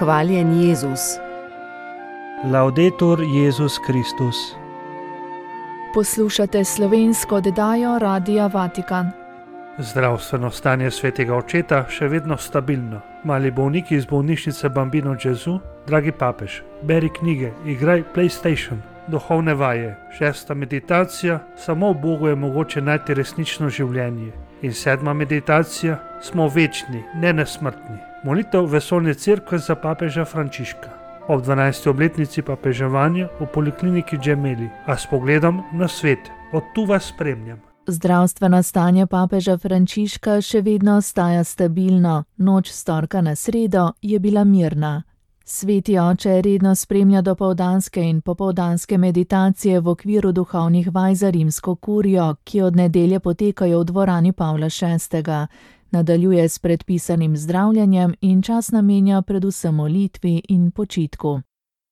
Hvaljen Jezus. Laudetur Jezus Kristus. Poslušate slovensko oddajo Radia Vatikan. Zdravstveno stanje svetega očeta še vedno stabilno. Mali bolniki iz bolnišnice Bambino Gesù, dragi papež, beri knjige, igraj PlayStation, duhovne vaje, 6. meditacija, samo v Bogu je mogoče najti resnično življenje. In 7. meditacija, smo večni, ne nesmrtni. Molitev vesoljne cerkve za papeža Frančiška. Ob 12. obletnici papeževanja v polikliniki Gemelli, a s pogledom na svet. Od tu vas spremljam. Zdravstveno stanje papeža Frančiška še vedno ostaja stabilno. Noč s torka na sredo je bila mirna. Sveti oče redno spremlja dopoldanske in popoldanske meditacije v okviru duhovnih vaj za rimsko kurijo, ki od nedelje potekajo v dvorani Pavla VI. Nadaljuje s predpisanim zdravljenjem in čas namenja predvsem molitvi in počitku.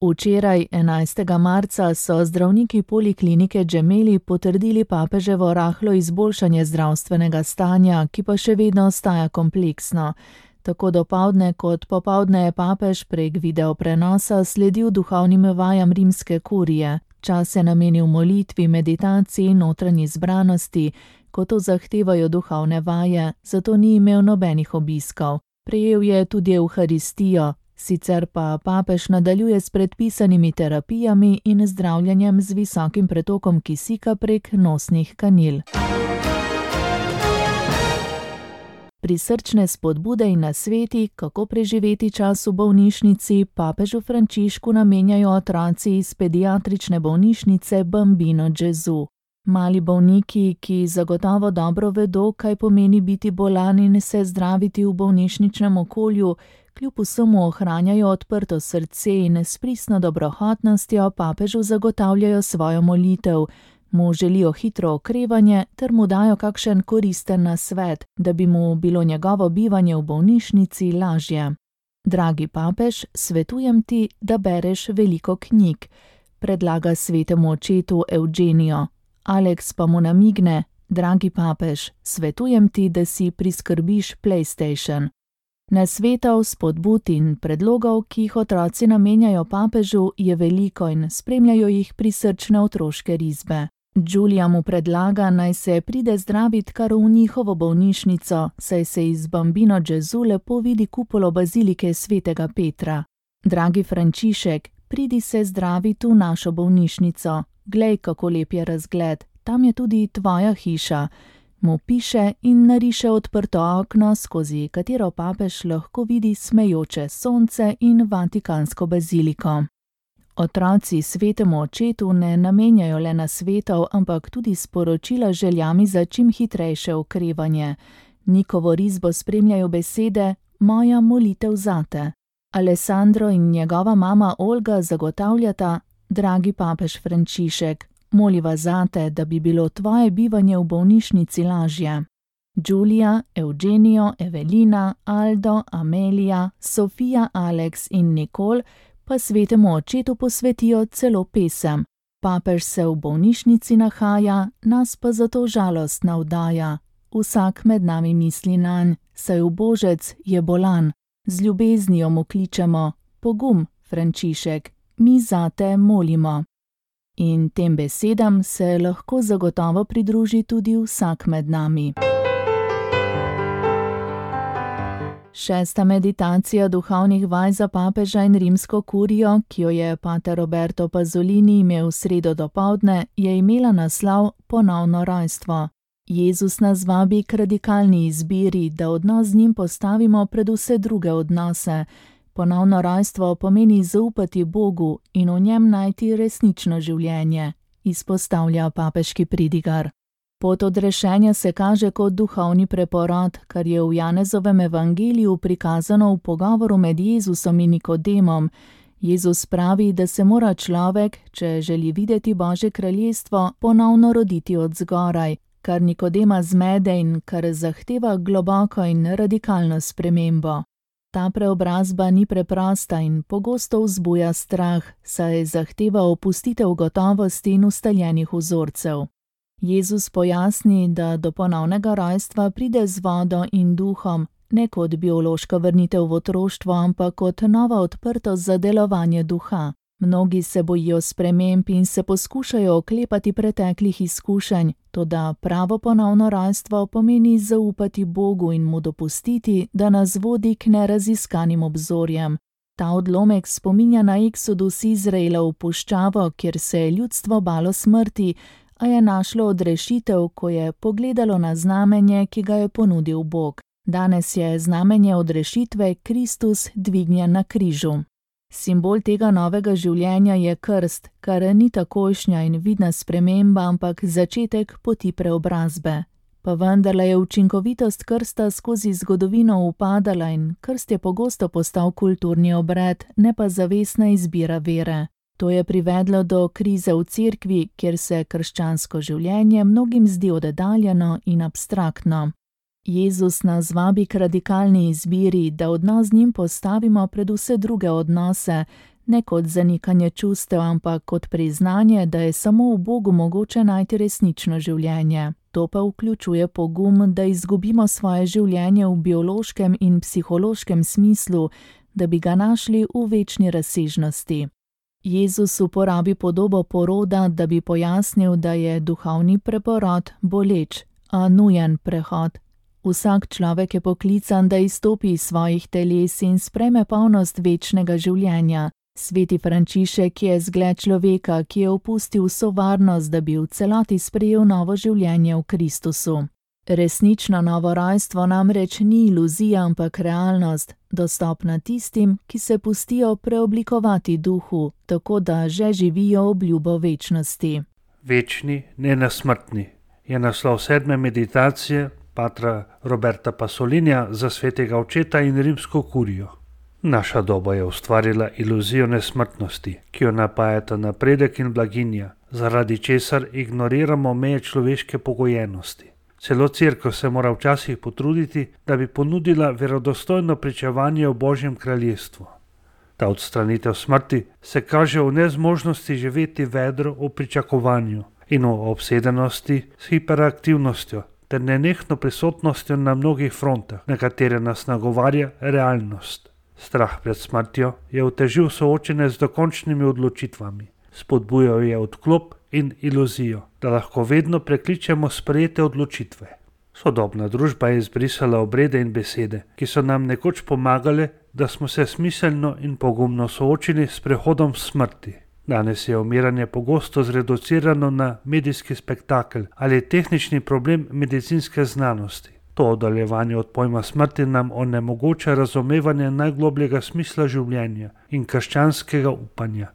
Včeraj, 11. marca, so zdravniki poliklinike Gemelli potrdili papeževo rahlo izboljšanje zdravstvenega stanja, ki pa še vedno ostaja kompleksno. Tako dopoldne kot popoldne je papež prek videoprenosa sledil duhovnim vajam rimske kurije. Čas je namenil molitvi, meditaciji in notranji zbranosti, ko to zahtevajo duhovne vaje, zato ni imel nobenih obiskov. Prejel je tudi evharistijo, sicer pa papež nadaljuje s predpisanimi terapijami in zdravljenjem z visokim pretokom kisika prek nosnih kanil. Prisrčne spodbude in nasveti, kako preživeti čas v bolnišnici, papežu Frančišku namenjajo otroci iz pediatrične bolnišnice Bambino Gesù. Mali bolniki, ki zagotovo dobro vedo, kaj pomeni biti bolan in se zdraviti v bolnišničnem okolju, kljub vsemu ohranjajo odprto srce in s pristno dobrohotnostjo papežu zagotavljajo svojo molitev. Mu želijo hitro okrevanje ter mu dajo kakšen koristen nasvet, da bi mu bilo njegovo bivanje v bolnišnici lažje. Dragi papež, svetujem ti, da bereš veliko knjig, predlaga svetemu očetu Eugenijo. Alex pa mu namigne, dragi papež, svetujem ti, da si priskrbiš PlayStation. Nasvetov, spodbud in predlogov, ki jih otroci namenjajo papežu, je veliko in spremljajo jih prisrčne otroške risbe. Giulia mu predlaga, naj se pride zdravit kar v njihovo bolnišnico, saj se iz Bambino Gesù lepo vidi kupolo bazilike svetega Petra. Dragi Frančišek, pridi se zdravit v našo bolnišnico. Glej, kako lep je razgled, tam je tudi tvoja hiša. Mu piše in nariše odprto okno, skozi katero papež lahko vidi smejoče sonce in vatikansko baziliko. Otroci svetemu očetu ne namenjajo le nasvetov, ampak tudi sporočila željami za čim hitrejše okrevanje. Nikovo risbo spremljajo besede: moja molitev zate. Alessandro in njegova mama Olga zagotavljata: dragi papež Frančišek, moliva zate, da bi bilo tvoje bivanje v bolnišnici lažje. Giulia, Eugenijo, Evelina, Aldo, Amelija, Sofija, Alex in Nicole pa svetemu očetu posvetijo celo pesem. Papež se v bolnišnici nahaja, nas pa zato žalost navdaja. Vsak med nami misli nanj, saj ubožec je bolan. Z ljubeznijo mu kličemo: pogum, Frančišek, mi zate molimo. In tem besedam se lahko zagotovo pridruži tudi vsak med nami. 6. meditacija duhovnih vaj za papeža in rimsko kurijo, ki jo je pater Roberto Pasolini imel v sredo dopoldne, je imela naslov Ponovno rojstvo. Jezus nas vabi k radikalni izbiri, da odnos z njim postavimo pred vse druge odnose. Ponovno rojstvo pomeni zaupati Bogu in v njem najti resnično življenje, izpostavlja papeški pridigar. Pot odrešenja se kaže kot duhovni preporod, kar je v Janezovem evangeliju prikazano v pogovoru med Jezusom in Nikodemom. Jezus pravi, da se mora človek, če želi videti Božje kraljestvo, ponovno roditi od zgoraj, kar Nikodema zmede in kar zahteva globoko in radikalno spremembo. Ta preobrazba ni preprosta in pogosto vzbuja strah, saj zahteva opustitev gotovosti in ustaljenih vzorcev. Jezus pojasni, da do ponovnega rojstva pride z vodo in duhom, ne kot biološka vrnitev v otroštvo, ampak kot nova odprtost za delovanje duha. Mnogi se bojijo sprememb in se poskušajo oklepati preteklih izkušenj, toda pravo ponovno rojstvo pomeni zaupati Bogu in mu dopustiti, da nas vodi k neraziskanim obzorjem. Ta odlomek spominja na eksodus Izraela v puščavo, kjer se je ljudstvo balo smrti, a je našlo odrešitev, ko je pogledalo na znamenje, ki ga je ponudil Bog. Danes je znamenje odrešitve Kristus dvignjen na križu. Simbol tega novega življenja je krst, kar ni takojšnja in vidna sprememba, ampak začetek poti preobrazbe. Pa vendarle je učinkovitost krsta skozi zgodovino upadala in krst je pogosto postal kulturni obred, ne pa zavestna izbira vere. To je privedlo do krize v cerkvi, kjer se krščansko življenje mnogim zdi oddaljeno in abstraktno. Jezus nas vabi k radikalni izbiri, da odnos z njim postavimo pred vse druge odnose, ne kot zanikanje čustev, ampak kot priznanje, da je samo v Bogu mogoče najti resnično življenje. To pa vključuje pogum, da izgubimo svoje življenje v biološkem in psihološkem smislu, da bi ga našli v večni razsežnosti. Jezus uporabi podobo poroda, da bi pojasnil, da je duhovni preporod boleč, a nujen prehod. Vsak človek je poklican, da izstopi iz svojih teles in sprejme polnost večnega življenja. Sveti Frančišek je zgled človeka, ki je opustil vso varnost, da bi v celoti sprejel novo življenje v Kristusu. Resnično novo rojstvo namreč ni iluzija, ampak realnost, dostopna tistim, ki se pustijo preoblikovati duhu, tako da že živijo obljubo večnosti. Večni, nenasmrtni je naslov 7. meditacije patra Roberta Pasolinija za svetega očeta in rimsko kurijo. Naša doba je ustvarila iluzijo nesmrtnosti, ki jo napajata napredek in blaginja, zaradi česar ignoriramo meje človeške pogojenosti. Celo cerkev se mora včasih potruditi, da bi ponudila verodostojno pričevanje o Božjem kraljestvu. Ta odstranitev smrti se kaže v nezmožnosti živeti vedro v pričakovanju in v obsedenosti s hiperaktivnostjo ter nenehno prisotnostjo na mnogih frontah, na katere nas nagovarja realnost. Strah pred smrtjo je otežil soočenje z dokončnimi odločitvami. Spodbujal je odklop in iluzijo, da lahko vedno prekličemo sprejete odločitve. Sodobna družba je izbrisala obrede in besede, ki so nam nekoč pomagale, da smo se smiselno in pogumno soočili s prehodom smrti. Danes je umiranje pogosto zreducirano na medijski spektakel ali tehnični problem medicinske znanosti. To oddaljevanje od pojma smrti nam onemogoča razumevanje najglobljega smisla življenja in krščanskega upanja.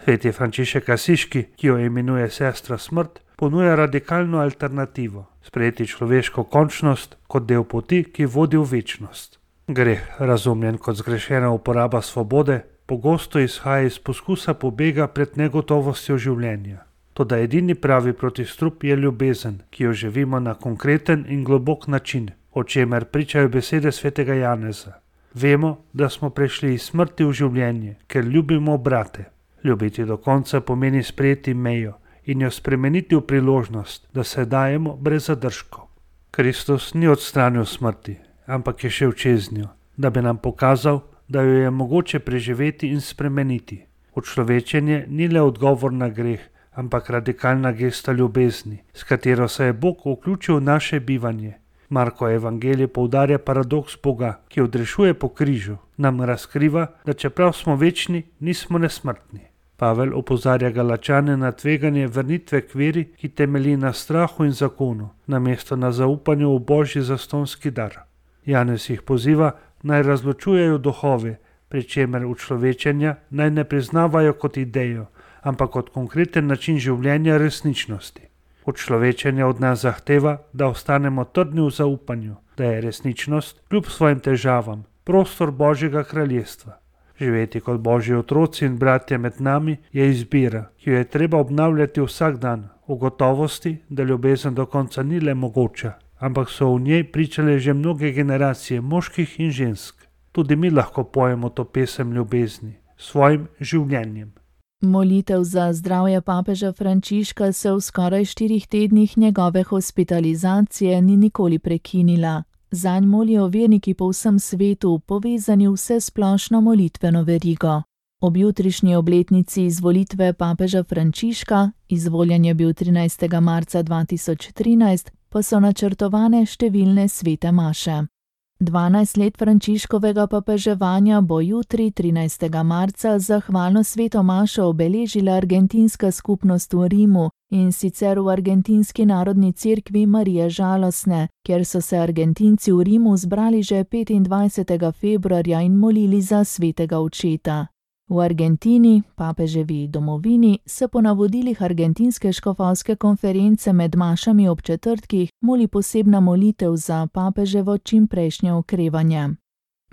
Sveti Frančišek Asiški, ki jo imenuje sestra smrt, ponuja radikalno alternativo, sprejeti človeško končnost kot del poti, ki vodi v večnost. Greh, razumljen kot zgrešena uporaba svobode, pogosto izhaja iz poskusa pobega pred negotovostjo življenja. Toda edini pravi protistrup je ljubezen, ki jo živimo na konkreten in globok način, o čemer pričajo besede svetega Janeza. Vemo, da smo prešli iz smrti v življenje, ker ljubimo brate. Ljubiti do konca pomeni sprejeti mejo in jo spremeniti v priložnost, da se dajemo brez zadržkov. Kristus ni odstranil smrti, ampak je šel čez njo, da bi nam pokazal, da jo je mogoče preživeti in spremeniti. Učlovečenje ni le odgovor na greh, ampak radikalna gesta ljubezni, s katero se je Bog vključil v naše bivanje. Marko evangelij poudarja paradoks Boga, ki odrešuje po križu, nam razkriva, da čeprav smo večni, nismo nesmrtni. Pavel opozarja Galačane na tveganje vrnitve k veri, ki temelji na strahu in zakonu, namesto na zaupanju v Božji zastonski dar. Janez jih poziva, naj razločujejo duhove, pri čemer učlovečenja naj ne priznavajo kot idejo, ampak kot konkreten način življenja resničnosti. Učlovečenje od nas zahteva, da ostanemo trdni v zaupanju, da je resničnost, kljub svojim težavam, prostor Božjega kraljestva. Živeti kot Božji otroci in bratje med nami je izbira, ki jo je treba obnavljati vsak dan, v gotovosti, da ljubezen do konca ni le mogoča, ampak so v njej pričale že mnoge generacije moških in žensk. Tudi mi lahko pojemo to pesem ljubezni, svojim življenjem. Molitev za zdravje papeža Frančiška se v skoraj 4 tednih njegove hospitalizacije ni nikoli prekinila. Zanj molijo verniki po vsem svetu, povezani v vsesplošno molitveno verigo. Ob jutrišnji obletnici izvolitve papeža Frančiška, izvoljen je bil 13. marca 2013, pa so načrtovane številne svete maše. 12 let Frančiškovega papeževanja bo jutri, 13. marca, zahvalno sveto mašo obeležila argentinska skupnost v Rimu, in sicer v Argentinski narodni cerkvi Marije Žalostne, kjer so se Argentinci v Rimu zbrali že 25. februarja in molili za svetega očeta. V Argentini, papeževi domovini, se po navodilih Argentinske škofovske konference med mašami ob četrtkih moli posebna molitev za papeževo čimprejšnje okrevanje.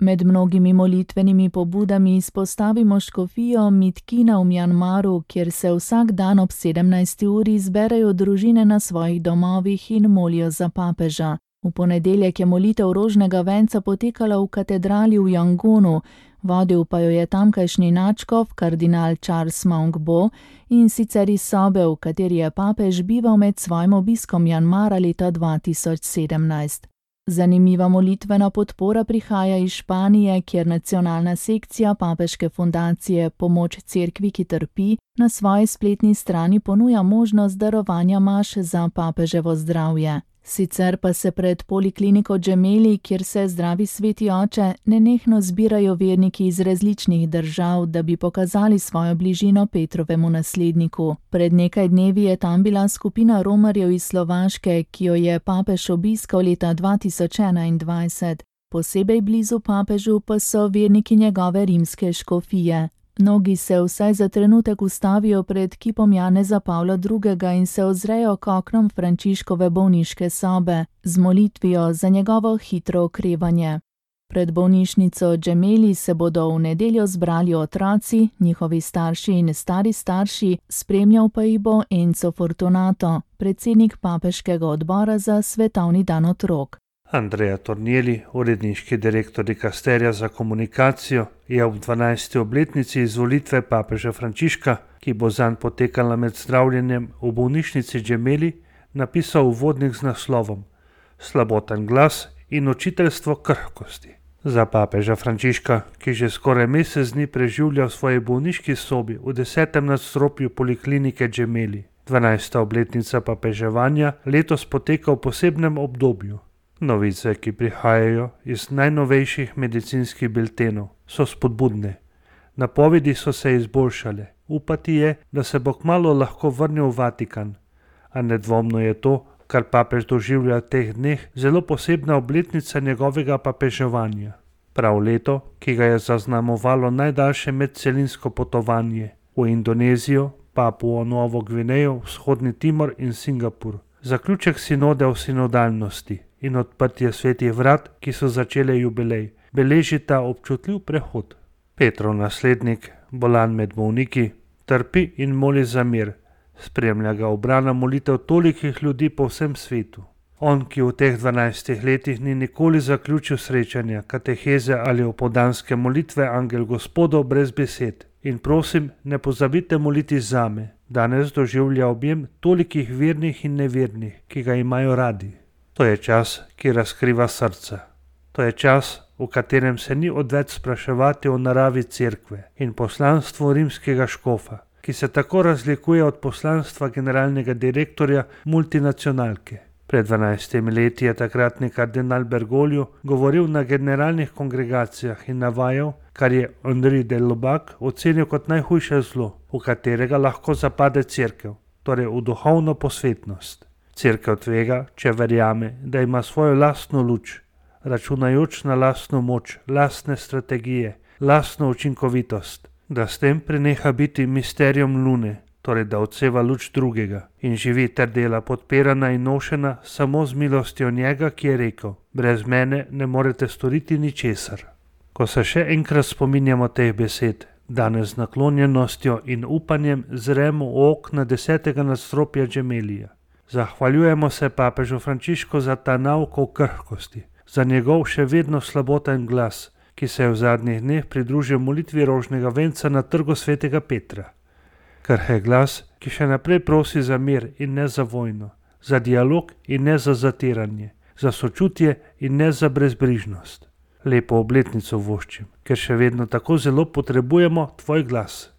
Med mnogimi molitvenimi pobudami izpostavimo škofijo Mitkina v Mjanmaru, kjer se vsak dan ob 17. uri zberejo družine na svojih domovih in molijo za papeža. V ponedeljek je molitev rožnega venca potekala v katedrali v Jangonu, vodil pa jo je tamkajšnji nadškof kardinal Charles Maungbo, in sicer iz sobe, v kateri je papež bival med svojim obiskom Mjanmara leta 2017. Zanimiva molitvena podpora prihaja iz Španije, kjer nacionalna sekcija papeške fundacije Pomoč cerkvi, ki trpi, na svoji spletni strani ponuja možnost darovanja maš za papeževo zdravje. Sicer pa se pred polikliniko Gemelli, kjer se zdravi sveti oče, nenehno zbirajo verniki iz različnih držav, da bi pokazali svojo bližino Petrovemu nasledniku. Pred nekaj dnevi je tam bila skupina romarjev iz Slovaške, ki jo je papež obiskal leta 2021. Posebej blizu papežu pa so verniki njegove rimske škofije. Mnogi se vsaj za trenutek ustavijo pred kipom Janeza Pavla II. In se ozrejo k oknom Frančiškove bolniške sobe z molitvijo za njegovo hitro okrevanje. Pred bolnišnico Gemelli se bodo v nedeljo zbrali otroci, njihovi starši in stari starši, spremljal pa jih bo Enzo Fortunato, predsednik papeškega odbora za svetovni dan otrok. Andrea Tornielli, uredniški direktor dikasterija za komunikacijo, je ob 12. obletnici izvolitve papeža Frančiška, ki bo zanj potekala med zdravljenjem v bolnišnici Gemelli, napisal uvodnik z naslovom Slaboten glas in učiteljstvo krhkosti. Za papeža Frančiška, ki že skoraj mesec dni preživlja v svoji bolniški sobi v 10. nadstropju poliklinike Gemelli. 12. obletnica papeževanja letos poteka v posebnem obdobju. Novice, ki prihajajo iz najnovejših medicinskih biltenov, so spodbudne. Napovedi so se izboljšale. Upati je, da se bo kmalu lahko vrnil v Vatikan. A nedvomno je to, kar papež doživlja v teh dneh, zelo posebna obletnica njegovega papeževanja. Prav leto, ki ga je zaznamovalo najdaljše medcelinsko potovanje v Indonezijo, Papuo Novo Gvinejo, Vzhodni Timor in Singapur. Zaključek sinode o sinodalnosti in odprtje svetih vrat, ki so začele jubilej, beležita občutljiv prehod. Petrov naslednik, bolan med bolniki, trpi in moli za mir. Spremlja ga obrana molitev tolikih ljudi po vsem svetu. On, ki v teh 12 letih ni nikoli zaključil srečanja, kateheze ali opoldanske molitve Angel Gospodov brez besed. In prosim, ne pozabite moliti zame. Danes doživlja objem tolikih vernih in nevernih, ki ga imajo radi. To je čas, ki razkriva srca. To je čas, v katerem se ni odveč spraševati o naravi cerkve in poslanstvu rimskega škofa, ki se tako razlikuje od poslanstva generalnega direktorja multinacionalke. Pred 12 leti je takratni kardinal Bergoglio govoril na generalnih kongregacijah in navajal, kar je Henri de Lubac ocenil kot najhujše zlo, v katerega lahko zapade cerkev, torej v duhovno posvetnost. Cerkev tvega, če verjame, da ima svojo lastno luč, računajoč na lastno moč, lastne strategije, lastno učinkovitost, da s tem preneha biti misterijem lune, torej da odseva luč drugega in živi ter dela podpirana in nošena samo z milostjo njega, ki je rekel: brez mene ne morete storiti ničesar. Ko se še enkrat spominjamo teh besed, danes z naklonjenostjo in upanjem zremo v okna 10. nadstropja Gemellija. Zahvaljujemo se papežu Frančišku za ta nauk o krhkosti, za njegov še vedno slaboten glas, ki se je v zadnjih dneh pridružil molitvi rožnega venca na trgu svetega Petra. Krhek glas, ki še naprej prosi za mir in ne za vojno, za dialog in ne za zatiranje, za sočutje in ne za brezbrižnost. Lepo obletnico voščim, ker še vedno tako zelo potrebujemo tvoj glas.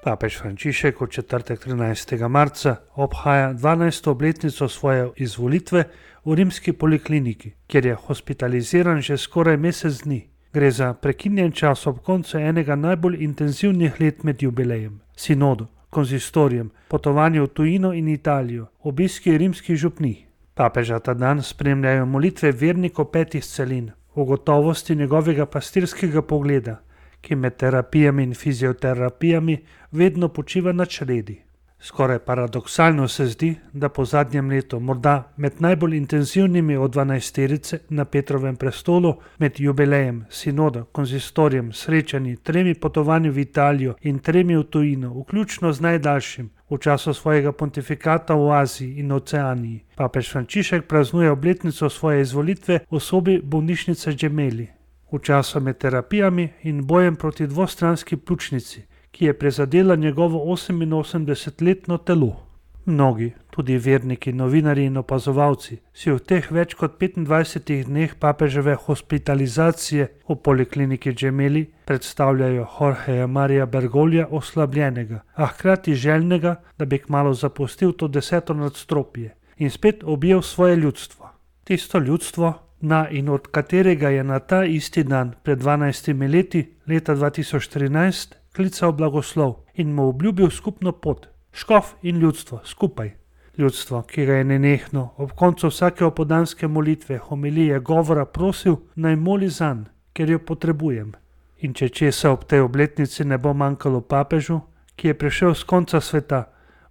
Papež Frančišek v četrtek 13. marca obhaja 12. obletnico svoje izvolitve v rimski polikliniki, kjer je hospitaliziran že skoraj mesec dni. Gre za prekinjen čas ob koncu enega najbolj intenzivnih let med jubilejem, sinodu, konzistorijem, potovanju v tujino in Italijo, obiski rimskih župnij. Papeža ta dan spremljajo molitve vernikov 5 celin, v gotovosti njegovega pastirskega pogleda, ki med terapijami in fizioterapijami vedno počiva na čredi. Skoraj paradoksalno se zdi, da po zadnjem letu, morda med najbolj intenzivnimi od 12-terice na Petrovem prestolu, med jubilejem, sinoda, konzistorijem, srečanji, 3 potovanji v Italijo in 3 v tujino, vključno z najdaljšim, v času svojega pontifikata v Aziji in Oceaniji. Papež Frančišek praznuje obletnico svoje izvolitve v sobi bolnišnice Gemelli. V času med terapijami in bojem proti dvostranski pljučnici, ki je prizadela njegovo 88-letno telo. Mnogi, tudi verniki, novinarji in opazovalci, si v teh več kot 25 dneh papeževe hospitalizacije v polikliniki Gemelli predstavljajo Jorgeja Marija Bergoglja oslabljenega, a hkrati željnega, da bi kmalu zapustil to 10. nadstropje in spet objel svoje ljudstvo. Tisto ljudstvo, na in od katerega je na ta isti dan pred 12 leti, leta 2013, klical blagoslov in mu obljubil skupno pot, škof in ljudstvo skupaj. Ljudstvo, ki ga je nenehno ob koncu vsake opoldanske molitve, homilije, govora prosil, naj moli zanj, ker jo potrebujem. In če česa ob tej obletnici ne bo manjkalo papežu, ki je prišel z konca sveta,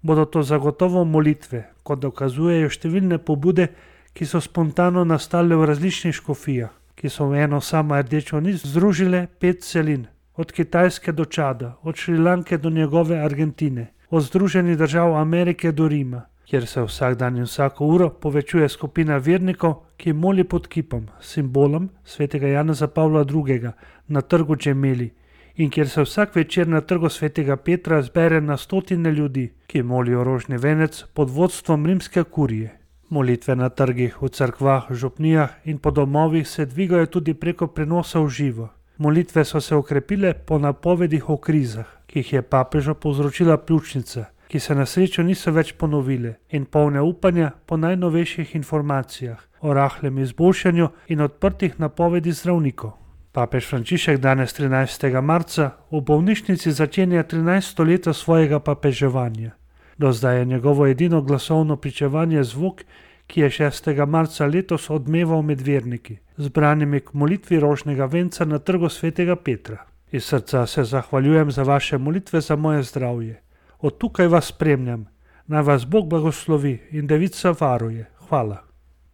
bodo to zagotovo molitve, kot dokazujejo številne pobude, ki so spontano nastale v različnih škofijah, ki so v eno samo rdečo nit združile 5 celin, od Kitajske do Čada, od Šrilanke do njegove Argentine, od Združenih držav Amerike do Rima, kjer se vsak dan in vsako uro povečuje skupina vernikov, ki moli pod kipom, simbolom svetega Janeza Pavla II. Na trgu Gemelli in kjer se vsak večer na trgu svetega Petra zbere na stotine ljudi, ki molijo rožni venec pod vodstvom rimske kurije. Molitve na trgih, v cerkvah, župnijah in po domovih se dvigajo tudi preko prenosa v živo. Molitve so se okrepile po napovedih o krizah, ki jih je papežu povzročila pljučnica, ki se na srečo niso več ponovile, in polne upanja po najnovejših informacijah o rahlem izboljšanju in odprtih napovedi zdravnikov. Papež Frančišek danes 13. marca v bolnišnici začenja 13. leto svojega papeževanja. Do zdaj je njegovo edino glasovno pričevanje zvok, ki je 6. marca letos odmeval med verniki, zbranimi k molitvi rožnega venca na trgu svetega Petra. Iz srca se zahvaljujem za vaše molitve za moje zdravje. Od tukaj vas spremljam. Naj vas Bog blagoslovi in Devica varuje. Hvala.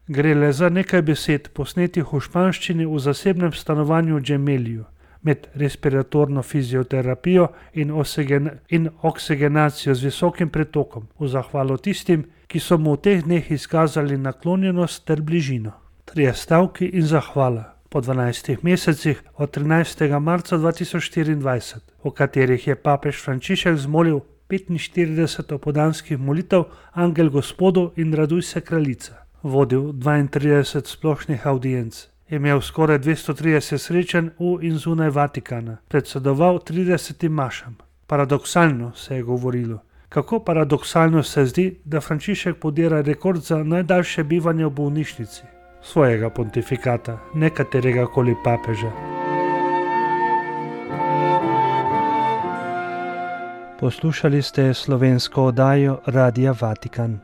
Gre le za nekaj besed, posnetih v španščini v zasebnem stanovanju v Gemelliju, med respiratorno fizioterapijo in oksiggenacijo z visokim pretokom, v zahvalo tistim, ki so mu v teh dneh izkazali naklonjenost ter bližino. 3 stavki in zahvala po 12 mesecih od 13. marca 2024, v katerih je papež Frančišek zmolil 45 opoldanskih molitev Angel Gospodu in Raduj se kraljica, vodil 32 splošnih audienc, imel skoraj 230 srečanj v in zunaj Vatikana, predsedoval 30 mašam. Paradoksalno se je govorilo. Kako paradoksalno se zdi, da Frančišek podira rekord za najdaljše bivanje v bolnišnici svojega pontifikata, ne katerega koli papeža. Poslušali ste slovensko oddajo Radia Vatikan.